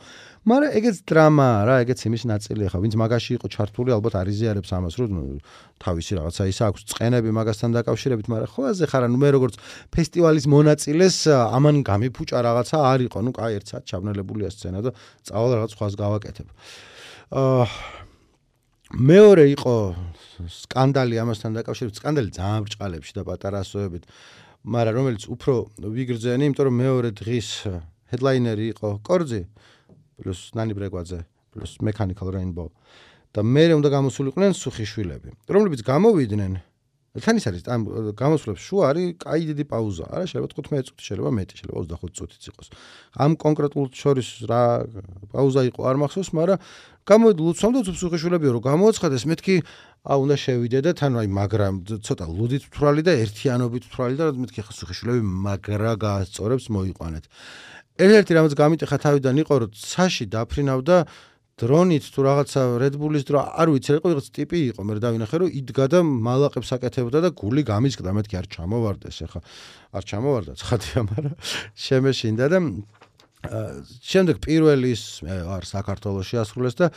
მაგრამ ეგეც დრამაა რა ეგეც იმის ნაწილია ხა ვინც მაგაში იყო ჩართული ალბათ არიზიარებს ამას რომ თავისი რაღაცა ის აქვს წყენები მაგასთან დაკავშირებით მაგრამ ხო აზე ხარ ანუ მე როგორც ფესტივალის მონაწილეს ამან გამიფუჭა რაღაცა არ იყო ნუ კაი ერთ საათ ჩაბნელებულია სცენა და წავალ რაღაც სხვას გავაკეთებ მეორე იყო სკანდალი ამასთან დაკავშირებით სკანდალი ძალიან ბრჭყალებში და პატარა ასოებით მაგრამ რომელიც უფრო ვიგრძენი იმიტომ რომ მეორე დღის ჰედლაინერი იყო კორძი პლუს ნანი ბრეგვაძე პლუს Mechanical Rainbow და მე უნდა გამოსულიყვნენ სუხიშვილები რომლებიც გამოვიდნენ თან ის არის ამ გამოსვლებს შუა არის კაი დიდი პაუზა არა შეიძლება 15 წუთი შეიძლება მეტი შეიძლება 25 წუთიც იყოს ამ კონკრეტულ შორის რა პაუზა იყო არ მახსოვს მაგრამ გამოვიდა ლუცვამ და სუხიშვილებიო რომ გამოაცხადეს მეთქი უნდა შევიდე და თან აი მაგრამ ცოტა ლუდით თვრალი და ერთიანობით თვრალი და მეთქი ხა სუხიშვილები მაგრა გაასწორებს მოიყვანეთ ერთ-ერთი რამაც გამიტეხა თავიდან იყო რომ ცაში დაფრინავდა დრონით თუ რაღაცა Red Bull-ის დრო არ ვიცი იყო რაღაც ტიპი იყო მე დავინახე რომ იდგა და მალაყებს აკეთებდა და გული გამისკდა მეთქი არ ჩამოვარდეს ახლა არ ჩამოვარდა ცხადია მაგრამ შემეშინდა და შემდეგ პირველი ის არ საქართველოში ასრულეს და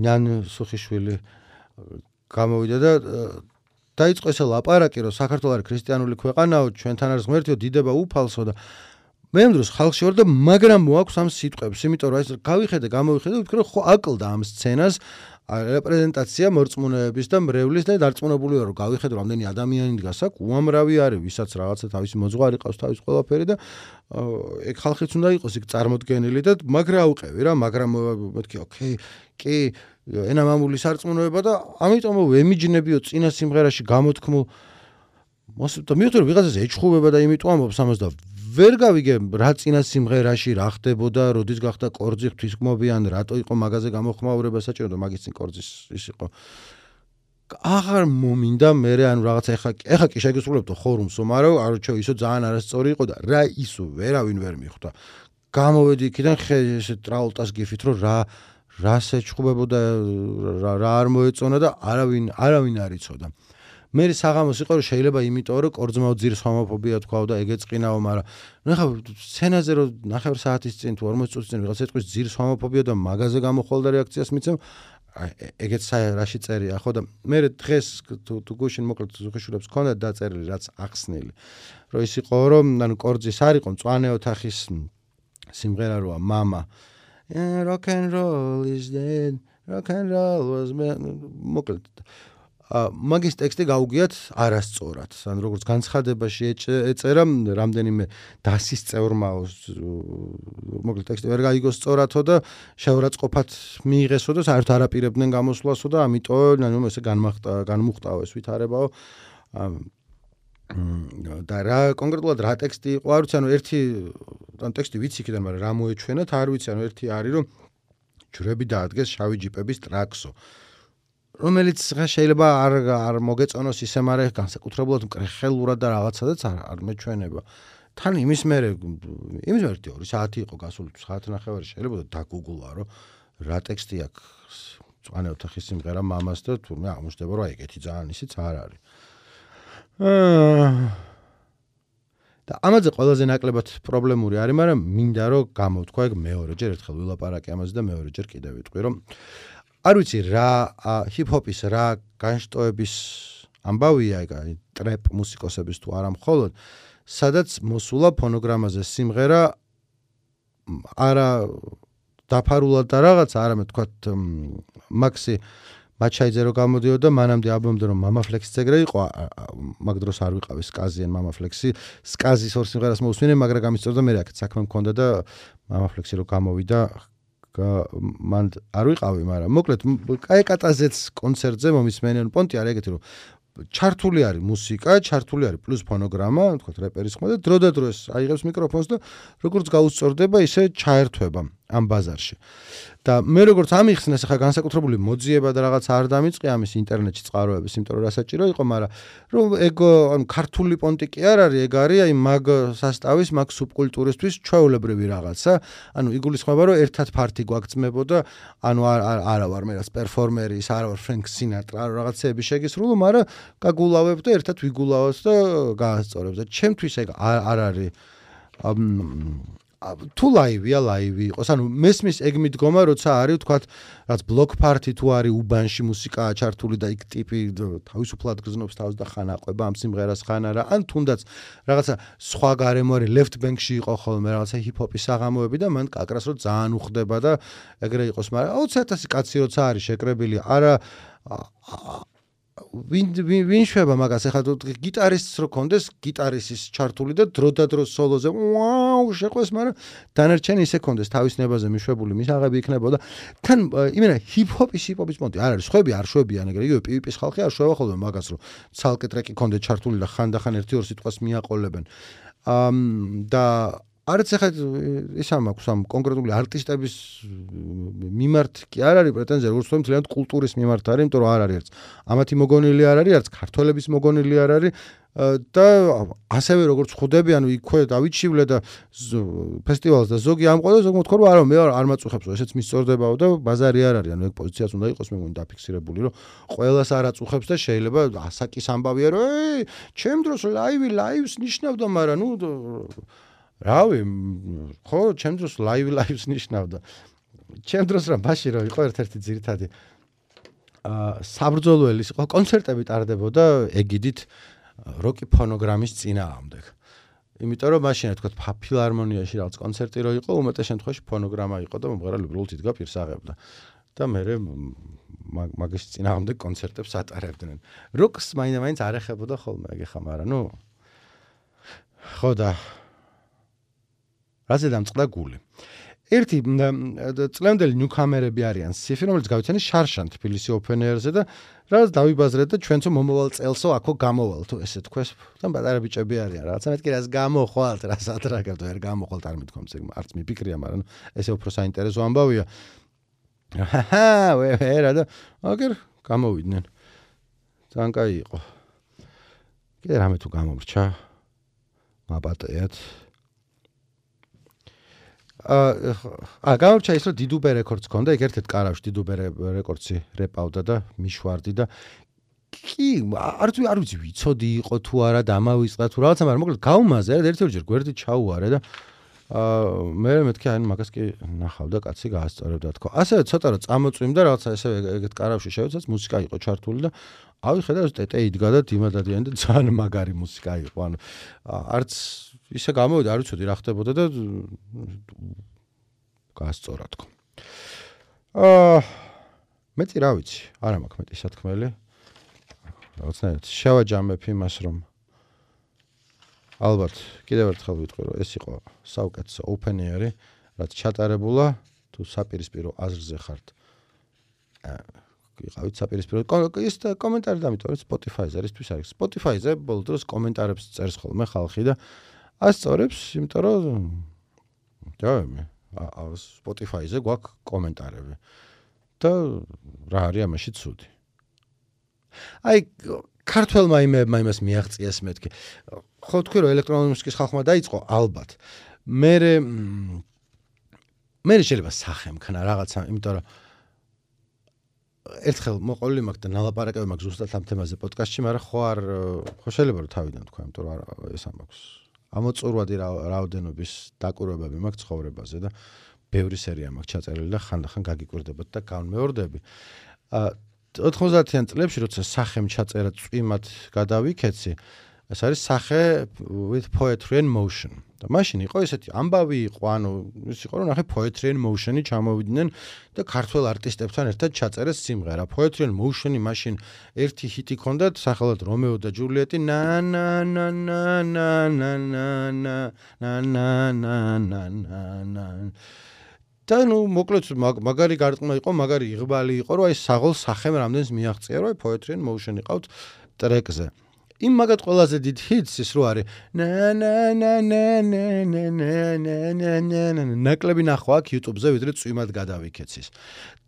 ნიან სუხიშვილი გამოვიდა და დაიწყო ეს ლაპარაკი რომ საქართველოს არის ქრისტიანული ქვეყანაო ჩვენთან არის ღმერთიო დიდება უფალსო და მე ამ დროს ხალხში ვარ და მაგრამ მოაქვს ამ სიტყვებს იმიტომ რომ ეს გავიხედე გამოვიხედე ვფიქრე რომ ხო აკლდა ამ სცენას რეპრეზენტაცია მორწმუნეების და მრევლის და დარწმუნებული ვარ რომ გავიხედე რამდენი ადამიანი დგას აქ უამრავი არის ვისაც რაღაცა თავისი მოძღვარი ყავს თავის ყველაფერი და ეგ ხალხიც უნდა იყოს იქ წარმოდგენილი და მაგრა აუყევი რა მაგრამ მეთქი ოკეი კი ენა მამული სარწმუნოება და ამიტომ ვემიჯნებიო წინა სიმღერაში გამოთქმულ და მივხვდი რომ ვიღაცას ეჩხუბება და იმიტომ ამბობს ამას და ვერ გავიგე რა წინა სიმღერაში რა ხდებოდა, როდის გახდა კორძი ღვთისმობიან, რატო იყო მაგაზე გამოხმაურება საჭირო და მაგის წინ კორძის ის იყო. აღარ მომინდა მე ანუ რაღაცა ეხა კი შეგესრულებდო ხორუმსო, მაგრამ არჩო ისო ძალიან არასწორი იყო და რა ისო ვერავინ ვერ მიხვდა. გამოვედი იქიდან ესე ტრაულტას გიფით რომ რა შეჭხუბებოდა რა არ მოეწონა და არავინ არ იცოდა. მე საღამოს იყო რომ შეიძლება იმიტომ რომ კორძმაო ძირს ჰომოფობია თქვა და ეგ ეწყინაო, მაგრამ ნუ ხა სცენაზე რომ ნახევარ საათის წინ თუ 40 წუთის წინ ვიღაც ეტყვის ძირს ჰომოფობია და მაგაზე გამოხვალ და რეაქციას მიცემ ეგეც რაში წერია ხო და მე დღეს თუ გუშინ მოკლედ ზუხიშვილებს ქონდა დაწერილი რაც ახსნილი რომ ის იყო რომ ანუ კორძის არ იყო მწვანე ოთახის სიმღერა როა мама rock and roll is dead rock and roll was მოკლედ მაგის ტექსტი გაუგიათ არასწორად. ან როგორც განცხადებაში ეწერა რამდენიმე დასის წევრმაო მოკლედ ტექსტი ვერ გაიგოს სწორადო და შეურაცხყოფად მიიღესო და საერთოდ არაპირებდნენ გამოსვლასო და ამიტომ ანუ ესე განმუხტავეს ვითარებაო და რა კონკრეტულად რა ტექსტი იყო არ ვიცი ანუ ერთი ან ტექსტი ვიცი იქიდან მაგრამ რა მოეჩვენათ არ ვიცი ანუ ერთი არის რომ ჯვრები დაადგეს შავი ჯიპების ტრაქსო რომელიც შეიძლება არ მოგეწონოს ისე, მაგრამ განსაკუთრებულად მკრეხელურად და რაღაცადაც არ მეჩვენება. თან იმის მერე 2 საათი იყო გასული, საათნახევარი შეიძლება დაგუგლა, რომ რა ტექსტი აქვს მწვანე ოთახის სიმღერა მამას და თურმე აღმოჩნდება, რომ ეგეთი ძალიან ისიც არ არის. და ამაზე ყველაზე ნაკლებად პრობლემური არის, მაგრამ მინდა რომ გამოვთქვა ეგ მეორეჯერ ერთხელ ვილაპარაკე ამაზე და მეორეჯერ კიდევ ვიტყვი, რომ არ ვიცი რა ჰიპ-ჰოპის რა განშტოების ამბავია ეგ ტრეპ მუსიკოსების თუ არა მხოლოდ სადაც მოსულა ფონოგრამაზე სიმღერა არა დაფარულად და რაღაც არამედ თქვათ მაქსი მაჩაიძე რო გამოდიოდა მანამდე ალბომდე რომ Mama Flex-ის ეგრე იყო მაგ დროს არ ვიყავი სკაზი ან Mama Flex-ი სკაზის ორ სიმღერას მოусმინე მაგრამ გამისწორდა მე აქ საქმე მქონდა და Mama Flex-ი რო გამოვიდა მან არ ვიყავი, მაგრამ მოკლედ კაიკატაზეც კონცერტზე მომისმენენ პონტი არის ეგეთი რომ ჩართული არის მუსიკა, ჩართული არის პლუს ფონოგრამა, თქვა რეპერის ხმა და დრო და დრო ეს აიღებს მიკროფონს და როგორც გაუსწორდება, ისე ჩაერთვება. ამ ბაზარში. და მე როგორც ამიხსნეს ახლა განსაკუთრებული მოძიება და რაღაც არ დამიწყე ამის ინტერნეტში წყაროების, იმიტომ რომ რასაჭირო იყო, მაგრამ რომ ეგ ანუ ქართული პონტი კი არ არის, ეგ არის აი მაგ სასტავის, მაგ სუბკულტურისთვის ჩვეულებრივი რაღაცა. ანუ იგულისხმება რომ ერთად ფართი გვაგწმებოდა, ანუ არა ვარ მე რაც პერფორმერი, არა ვარ ფრენკ სინატრა, რაღაცეები შეგისრულო, მაგრამ გაგულავებ და ერთად ვიგულავოთ და გაასწორებ და ჩემთვის ეგ არ არის თუ ლაივია ლაივი იყოს, ანუ მესმის ეგ მიდგომა, როცა არის თქვათ, რაც ბლოკ პარტი თუ არის უბანში მუსიკაა ჩართული და იქ ტიპი თავისუფლად გრძნობს თავს და ხან აყვება ამ სიმღერას ხან არა, ან თუნდაც რაღაცა სხვა გარემო არის left bank-ში იყო ხოლმე რაღაცა ჰიპ-ჰოპის საღამოები და მან კაკრას რო ძალიან უხდება და ეგრე იყოს, მაგრამ 20,000 კაცი როცა არის შეკრებილი, არა ვინ შვება მაგას ახლა გიტარისტს რო კონდეს გიტარისტის ჩართული და დრო და დრო სოლოზე ვაუ შეყვეს, მაგრამ დანარჩენი ისე კონდეს თავის ნებაზე მიშვებული მისაღები იქნებოდა თან იმენა ჰიპ-ჰოპის პონტი არ არის ხვები არ შვებიან ეგრე იგივე პივიპის ხალხი არ შვება ხოლმე მაგას რომ ცალკე ტრეკი კონდე ჩართული და ხანდახან 1-2 სიტყვას მიაყოლებენ და არც ახლა ისა მაქვს ამ კონკრეტული არტისტების მიმართ კი არ არის პრეტენზია, როგორც თქვენ მთლიანად კულტურის მიმართ არის, იმიტომ რომ არ არის არც ამათი მოგონილი არ არის, არც ქართველების მოგონილი არ არის და ასევე როგორც ხვდები, ანუ იქვე დავიჩივლე და ფესტივალს და ზოგი ამყვა და ზოგი მოთქვა რომ არა მე არ მაწუხებს, ესეც მისწორდებაო და ბაზარი არ არის, ანუ ეგ პოზიციაც უნდა იყოს მე მგონი დაფიქსირებული, რომ ყველას არ აწუხებს და შეიძლება ასაკის ამბავია რომ ჩემ დროს ლაივს ნიშნავდა, მაგრამ ნუ რავი, ხო, ჩემ დროს ლაივს ნიშნავდა. ჩემ დროს რა ბაში რო იყო ერთ-ერთი ძირითადი საბრძოლველის იყო კონცერტები ტარდებოდა ეგიდით როკი ფონოგრამის წინააღმდეგ. იმიტომ რომ მაშინ თქვა ფილარმონიაში რაღაც კონცერტი რო იყო, უმეტეს შემთხვევაში ფონოგრამა იყო და მომღერალი უბრალოდ იდგა პირს აღებდა. და მე მაგის წინააღმდეგ კონცერტებს ატარებდნენ. როკს მაინც არ ეხებოდა ხოლმე ეგ ხა, მაგრამ ნუ ხო და რაზე დამწყდა გული. ერთი წლევანდელი ნიუკამერები არიან სიფი, რომელიც გავიცანი შარშან თბილისი ოპენ ეერზე და რაც დავიბაზრეთ და ჩვენც მომავალ წელსო აქო გამოვალ თუ ესე თქვეს და პატარა ბიჭები არიან რაღაცა მეთქი რას გამოხვალთ რას ადრაგებთ ვერ გამოხვალთ არ მithქვამს ეგ არც მიფიქრია მაგრამ ესე უფრო საინტერესო ამბავია ვერა და აგერ გამოვიდნენ ძალიან კაი იყო კიდე რამე თუ გამომრჩა მაპატეათ გამორჩა ის რომ დიდუბე რეკორდს ქონდა, ეგ ერთ-ერთ კარავში დიდუბე რეკორდსი რეპავდა და მიშვარდი და კი არ ვიცი ვიცოდი იყო თუ არა დამავიწყდა თუ რაღაცა, მაგრამ მოკლედ გავუმაზე რა ერთ-ერთჯერ გვერდით ჩაუარე და მე მეთქი აი მაგას კი ნახავდა კაცი გაასწორებდა თქო. ასევე ცოტა რომ წამოწვიმდა რაღაცა ესე ეგეთ კარავში შევეცაც მუსიკა იყო ჩართული და ავიხედა ტეტე იდგა და დიმადადიანი და ძალიან მაგარი მუსიკა იყო. ანუ არც ისე გამოვიდა, არ ვიცოდი რა ხდებოდა და გაასწორა თქო. მეტი რა ვიცი, არა მაქვს მეტი სათქმელი. რაღაცნაირად შევაჯამებ იმას რომ ალბათ კიდევ ერთხელ ვიტყვი რომ ეს იყო საუკეთესო open air-ი, რაც ჩატარებულა თუ საპირისპირო აზრზე ხართ. იყავით საპირისპირო ის კომენტარი დამიტოვეთ Spotify-ზე, ერისთვის არის. Spotify-ზე ბოლო დროს კომენტარებს წერს ხოლმე ხალხი და ასწორებს, იმიტომ რომ Spotify-ზე გვაქვს კომენტარები. და რა არის ამაში ცუდი. აი ქართველმა იმას მიაღწიეს მეთქი. ხო თქვი რომ ელექტრონული მუსიკის ხალხმა დაიწყო ალბათ. მე შეიძლება სახე მქნა რაღაცა, იმიტომ რომ ერთხელ მოყოლილი მაქვს და ნალაპარაკები მაქვს ზუსტად ამ თემაზე პოდკასტში, მაგრამ ხო შეიძლება რომ თავიდან თქვა, იმიტომ რომ ეს ამაქვს. ამოწურვადი რაოდენობის დაკვირვებები მაქვს ცხოვრებაზე და ბევრი სერია მაქვს ჩაწერილი და ხანდახან გაგიკვირდებათ და განმეორდები. 90-იან წლებში როცა სახემ ჩაწერა წვიმად გადავიქეცი, ეს არის სახე with poetry and motion. და მაშინ იყო ესეთი ამბავი იყო, ანუ ის იყო რომ ნახე poetry and motion-ი ჩამოვიდნენ და ქართველ არტისტებთან ერთად ჩაწერეს სიმღერა. Poetry and motion-ი მაშინ ერთი ჰიტი ქონდათ, სახელად რომეო და ჯულიეტი na na na na na na na na na na na და ნუ მოკლედ მაგარი გარყმა იყო, მაგარი იღბალი იყო, რომ აი საღოლ სახემ რამდენს მიაღწია, რომ აი poetry and motion იყავთ ტრეკზე. იმ მაგათ ყველაზე დიდ ჰიტს ის რო არის ნაკლები ნახვა აქ YouTube-ზე ვიდრე წვიმად გადავიქეცის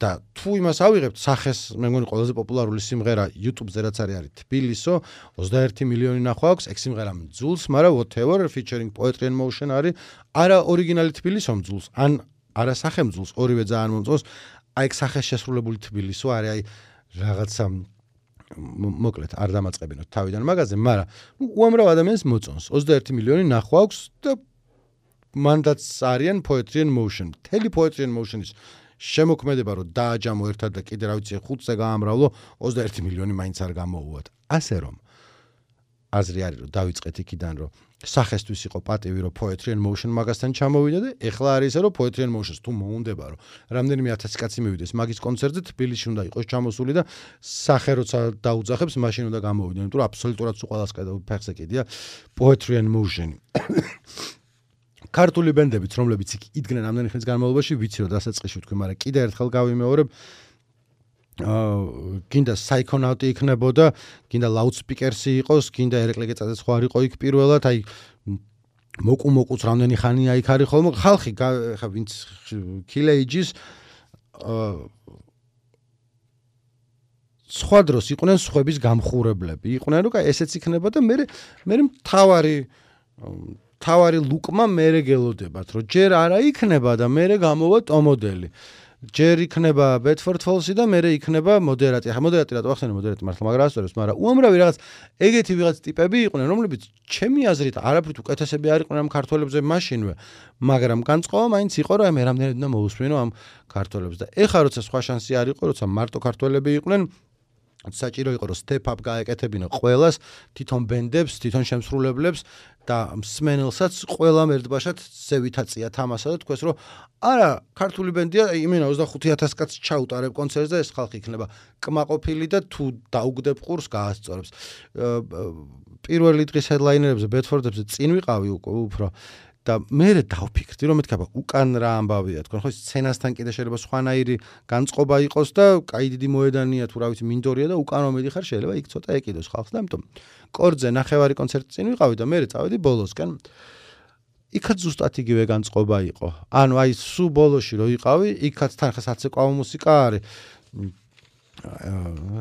და თუ იმას ავიღებთ სახეს მე მგონი ყველაზე პოპულარული სიმღერა YouTube-ზე რაც არის თბილისო 21 მილიონი ნახვა აქვს ეგ სიმღერა მძულს მაგრამ whatever featuring Poetry in Motion არის არა ორიგინალი თბილისო მძულს ან არა სახე მძულს ორივე ძალიან მომწონს აი ეგ სახეს შესრულებული თბილისო არის აი რაღაცა მოკლედ არ დამაწყებინოთ თავიდან მაგაზე, მაგრამ უამრავ ადამიანს მოწონს. 21 მილიონი ნახვა აქვს და მანდაც არიან Poetry in Motion. მთელი Poetry in Motion-ის შემოქმედება რომ დააჯამო ერთად და კიდე რა ვიცი 5-ზე გაამრავლო 21 მილიონი მაინც არ გამოუვათ. ასე რომ აზრი არის რომ დავიწყეთ იქიდან რომ სახესთვის იყო პატივი რომ Poetry in Motion მაგასთან ჩამოვიდა და ეხლა არის ისე რომ Poetry in Motion-ს თუ მოუნდება რომ რამდენიმე 1000 კაცი მივიდეს მაგის კონცერტზე თბილისში უნდა იყოს ჩამოსული და სახე როცა დაუძახებს მაშინ უნდა გამოვიდნენ იმიტომ რომ აბსოლუტურად სულ ყველას ფეხზე კიდია Poetry in Motion ქართული ბენდებიც რომლებიც იქ იდგნენ ამდენი ხნის განმავლობაში ვიცი რომ დასაწყისში ვთქვი მაგრამ კიდე ერთხელ გავიმეორებ გინდა საიქონავტი იქნებოდა, გინდა ლაუდსპიკერსი იყოს, გინდა ერეკლე გეწადეს ხო არ იყო იქ პირველად, აი მოკუმოკუც რამდენი ხანია იქ არის ხოლმე, ხალხი ხა ვინც Killage-ის სხვა დროს იყვნენ სხვების გამხურებლები, იყვნენ რომ აი ესეც იქნება და მე თავარი ლუკმა მე გელოდებათ, რომ ჯერ არა იქნება და მე გამოვა ტომოდელი. ჯერ იქნება Bedford Falls-ი და მერე იქნება მოდერატი. ახლა მოდერატი რატო ახსენე მოდერატი მართლა მაგრამ ასწორებს, მაგრამ უამრავი რაღაც ეგეთი ვიღაც ტიპები იყვნენ, რომლებიც ჩემი აზრით არაფრით უკეთესები არ იყვნენ ამ ქართველებზე მაშინვე, მაგრამ განწყობა მაინც იყო რომ მე რამდენად უნდა მოусმინო ამ ქართველებს და ეხლა როცა სხვა შანსი არ იყო, როცა მარტო ქართველები იყვნენ საჭირო იყო რომ step up გაეკეთებინო ყველას, თვითონ ბენდებს, თვითონ შემსრულებლებს და მსმენელსაც ყველამ ერთბაშად ზევითაწია თამასა და თქვეს რომ არა, ქართული ბენდია, იმენა 25000 კაცს ჩაუტარებ კონცერტზე და ეს ხალხი იქნება კმაყოფილი და თუ დაუგდებ ყურს გაასწორებს. პირველი დღის headlinerებზე, Bedford-ებზე წინ ვიყავი უფრო და მე დავფიქრდი რომ მეთქაბა უკან რა ამბავია თქვენ ხო სცენასთან კიდე შეიძლება სხვანაირი განწყობა იყოს და კაი დიდი მოედანია თუ რა ვიცი მინდორია და უკან მომედიხარ შეიძლება იქ ცოტა ეკიდოს ხალხს და ამიტომ კორდზე ნახევარი კონცერტი წინ ვიყავი და მე წავედი ბოლოსკენ იქაც ზუსტად იგივე განწყობა იყო ანუ აი სულ ბოლოში რო იყავი იქაც თან ხა საცეკვაო მუსიკა არის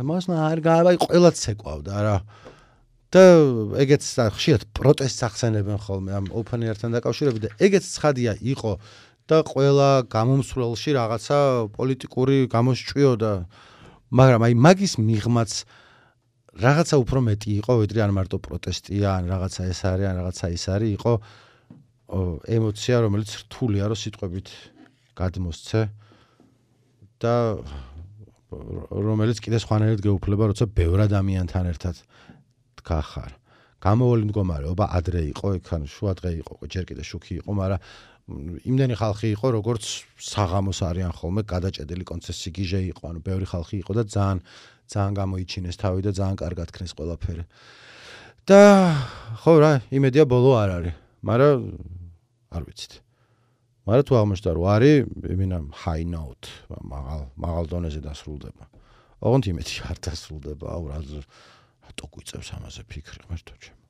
მასნა არ გავაი ყველაც ცეკვავდა რა და ეგეც ხშირად პროტესტს ახსენებენ ხოლმე ამ open air-თან დაკავშირებით და ეგეც ცხადია იყო და ყველა გამომსვლელში რაღაცა პოლიტიკური გამოსჭვიოდა მაგრამ აი მაგის მიღმაც რაღაცა უფრო მეტი იყო ვიდრე ან მარტო პროტესტია ან რაღაცა ეს არის ან რაღაცა ის არის იყო ემოცია რომელიც რთულია რომ სიტყვებით გადმოსცე და რომელიც კიდე სხვანაირად გეუფლება როცა ბევრ ადამიანთან ერთად გახარ. გამოვალი მდგომარეობა ადრე იყო, იქ ან შუადღე იყო, ჯერ კიდე შუქი იყო, მაგრამ იმდენი ხალხი იყო, როგორც საღამოს არიან ხოლმე გადაჭედილი კონცერტი გიჟე იყო, ანუ ბევრი ხალხი იყო და ძალიან გამოიჩინეს თავი და ძალიან კარგად ქნეს ყველაფერი. და ხო რა, იმედია ბოლო არ არის, მაგრამ არ ვიცით. მაგრამ თუ აღმოჩნდა რომ არის, იმენა high note, მაღალ დონეზე დასრულდება. ოღონდ იმედი არ დასრულდება, აუ რა ტო გვიწევს ამაზე ფიქრი ღმერთო ჩემ